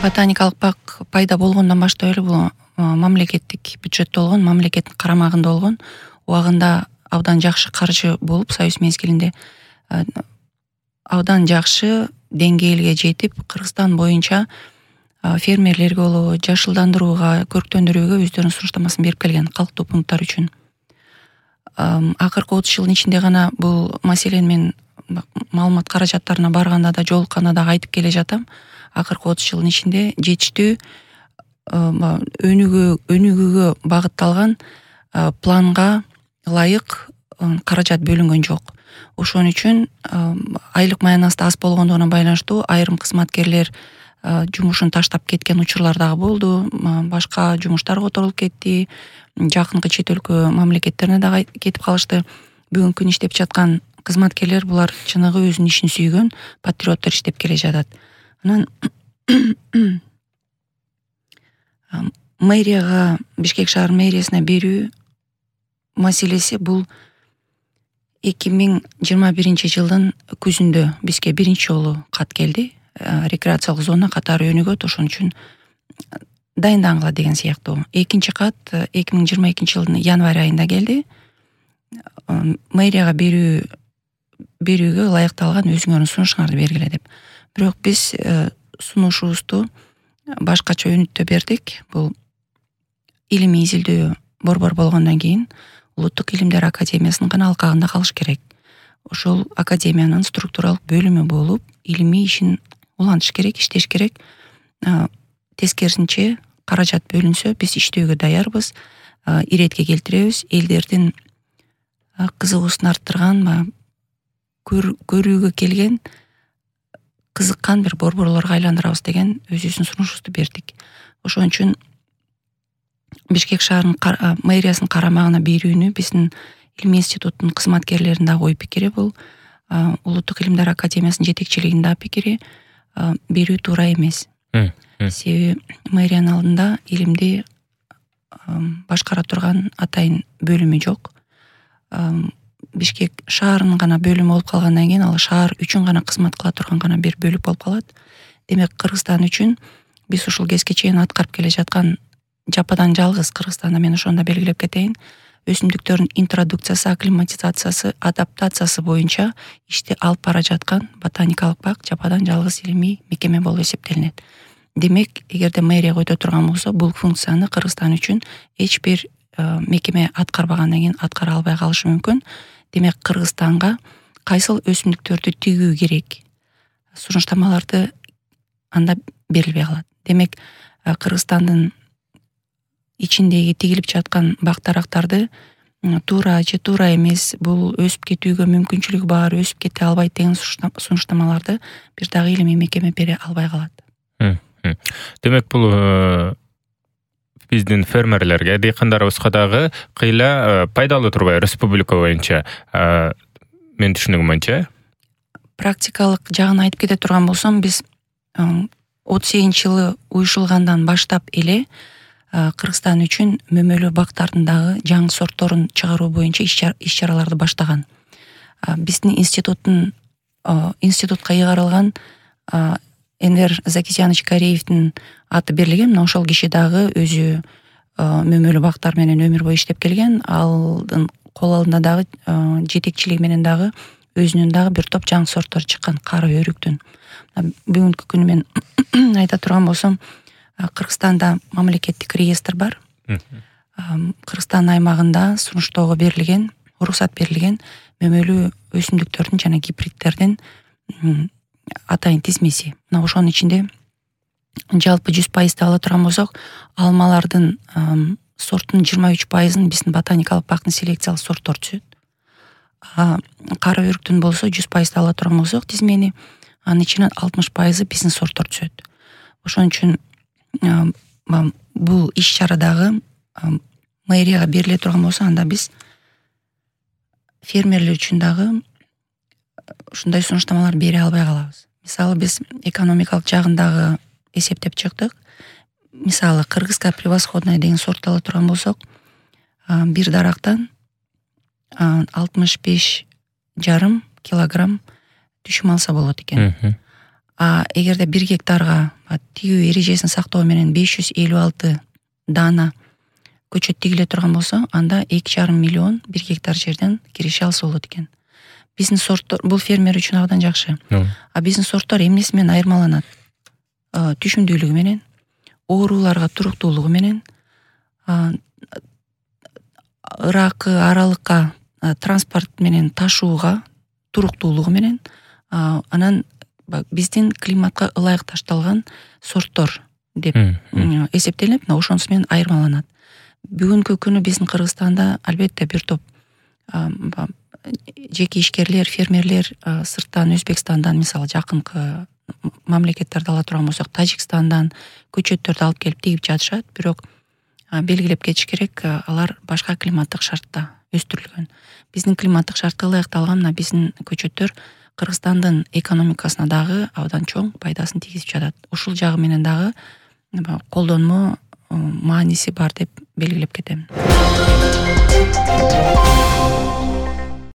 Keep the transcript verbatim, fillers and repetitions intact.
ботаникалык бак пайда болгондон баштап эле бул мамлекеттик бюджетте болгон, мамлекеттин карамагында болгон, убагында абдан жакшы каржы болуп, союз мезгилинде абдан жакшы деңгээлге жетип, Кыргызстан боюнча фермерлерге болобу, жашылдандырууга, көрктөндүрүүгө өздөрүнүн сунуштамасын берип келген калктуу пункттар үчүн. Акыркы отуз жылдын ичинде гана бул маселени мен маалымат каражаттарына барганда да, жолукканда да айтып келе жатам. Акыркы отуз жылдын ичинде жетиштүү өнүгүү өнүгүүгө багытталган планга ылайык каражат бөлүнгөн жок. Ошон үчүн айлык маянасы аз болгондугуна байланыштуу айрым кызматкерлер жумушун таштап кеткен учурлар дагы болду. Башка жумуштар которулуп кетти. Жакынкы чет өлкө мамлекеттерине дагы кетип калышты. Бүгүнкү күнү иштеп жаткан кызматкерлер булар чыныгы өзүнүн ишин сүйгөн патриоттор иштеп келе жатат. Анан мэрияга, Бишкек шаар мэриясына берүү маселеси бул эки миң жыйырма биринчи жылдын күзүндө бизге биринчи жолу кат келди. Рекреациялык зона катары өнүгөт, ошон үчүн дайындангыла деген сыяктуу. Экинчи кат эки миң жыйырма экинчи жылдын январь айында келди. Мэрияга берүү берүүгө ылайыкталган өзүңөрдүн сунушуңарды бергиле деп. Бирок биз сунушубузду башкача өнүттө бердик. Бул илимий изилдөө борбор болгондон кийин Улуттук илимдер академиясынын гана алкагында калыш керек. Ошол академиянын структуралык бөлүмү болуп, илимий ишин улантыш керек, иштеш керек. Тескерисинче каражат бөлүнсө, биз иштөөгө даярбыз, иретке келтиребиз, элдердин кызыгуусун арттырган, көрүүгө келген, кызыккан бир борборлорго айландырабыз деген өзүбүздүн сунушубузду бердик. Ошон үчүн Бишкек шаарынын мэриясынын карамагына берүүнү биздин илимий институттун кызматкерлеринин дагы ой пикири бул. Улуттук илимдер академиясынын жетекчилигинин дагы пикири берүү туура эмес. Себеби мэриянын алдында илимди башкара турган атайын бөлүмү жок. Бишкек шаарынын гана бөлүмү болуп калгандан кийин ал шаар үчүн гана кызмат кыла турган гана бир бөлүк болуп калат. Демек, Кыргызстан үчүн биз ушул кезге чейин аткарып келе жаткан жападан жалгыз Кыргызстанда, мен ошондо белгилеп кетейин, өсүмдүктөрдүн интродукциясы, акклиматизациясы, адаптациясы боюнча ишти алып бара жаткан ботаникалык бак жападан жалгыз илимий мекеме болуп эсептелинет. Демек, эгерде мэрия койдо турган болсо, бул функцияны Кыргызстан үчүн эч бир мекеме аткарбагандан кийин аткара албай калышы мүмкүн. Демек, Кыргызстанга кайсыл өсүмдүктөрдү тигүү керек, сунуштамаларды анда берилбей калат. Демек, Кыргызстандын ичиндеги тигилип жаткан бак-дарактарды туура же туура эмес, бул өсүп кетүүгө мүмкүнчүлүгү бар, өсүп кете албайт деген сунуштамаларды бир дагы илимий мекеме бере албай калат. Демек, бул биздин фермерлерге, дыйкандарыбызга дагы кыйла пайдалуу турбайбы республика боюнча? Мен түшүнүгүм боюнча. Практикалык жагын айтып кете турган болсом, биз отуз сегизинчи жылы уюшулгандан баштап эле Кыргызстан үчүн мөмөлүү бактардын дагы жаңы сортторун чыгаруу боюнча иш-чараларды баштаган. Биздин институттун институтка ыйгарылган Энвер Закисьянович Кореевдин аты берилген. Мына ошол киши дагы өзү мөмөлүү бактар менен өмүр бою иштеп келген. Алдын кол алдында дагы жетекчилиги менен дагы өзүнүн дагы бир топ жаңы сорттор чыккан, кара өрүктүн. Бүгүнкү күнү мен айта турган болсом, Кыргызстанда мамлекеттик реестр бар. Кыргызстан аймагында сунуштоого берилген, уруксат берилген мөмөлүү өсүмдүктөрдүн жана гибридтердин атайын тизмеси. Мына ошонун ичинде жалпы жүз пайызды ала турган болсок, алмалардын сорттун жыйырма үч пайызын биздин ботаникалык бактын селекциялык сорттор түзөт. Кара өрүктүн болсо жүз пайызды ала турган болсок тизмени, анын ичинен алтымыш пайызы биздин сорттор түзөт. Ошон үчүн бул иш-чарадагы мэрияга бериле турган болсо, анда биз фермерлер үчүн дагы ушундай сунуштамалар бере албай калабыз. Мисалы, биз экономикалык жагын дагы эсептеп чыктык. Мисалы, кыргызская превосходная деген сорт ала турган болсок, бир дарактан алтымыш беш жарым килограмм түшүм алса болот экен. А эгерде бир гектарга тигүү эрежесин сактоо менен беш жүз элүү алты даана көчөт тигиле турган болсо, анда эки жарым миллион бир гектар жерден киреше алса болот экен. Бизнес сорттор бул фермер үчүн абдан жакшы. А бизнес сорттор эмнеси менен айырмаланат? Түшүмдүүлүгү менен, ооруларга туруктуулугу менен, ыракы аралыкка транспорт менен ташууга туруктуулугу менен, анан биздин климатка ылайыкташталган сорттор деп эсептелип, ошонусу менен айырмаланат. Бүгүнкү күнү биздин Кыргызстанда албетте бир топ жеке ишкерлер, фермерлер сырттан, Өзбекстандан, мисалы жакынкы мамлекеттерди ала турган болсок, Тажикстандан көчөттөрдү алып келип тигип жатышат, бирок белгилеп кетиш керек, алар башка климаттык шартта өстүрүлгөн. Биздин климаттык шартка ылайыкталган мына биздин көчөттөр Кыргызстандын экономикасына дагы абдан чоң пайдасын тийгизип жатат. Ушул жагы менен дагы колдонмо мааниси бар деп белгилеп кетем.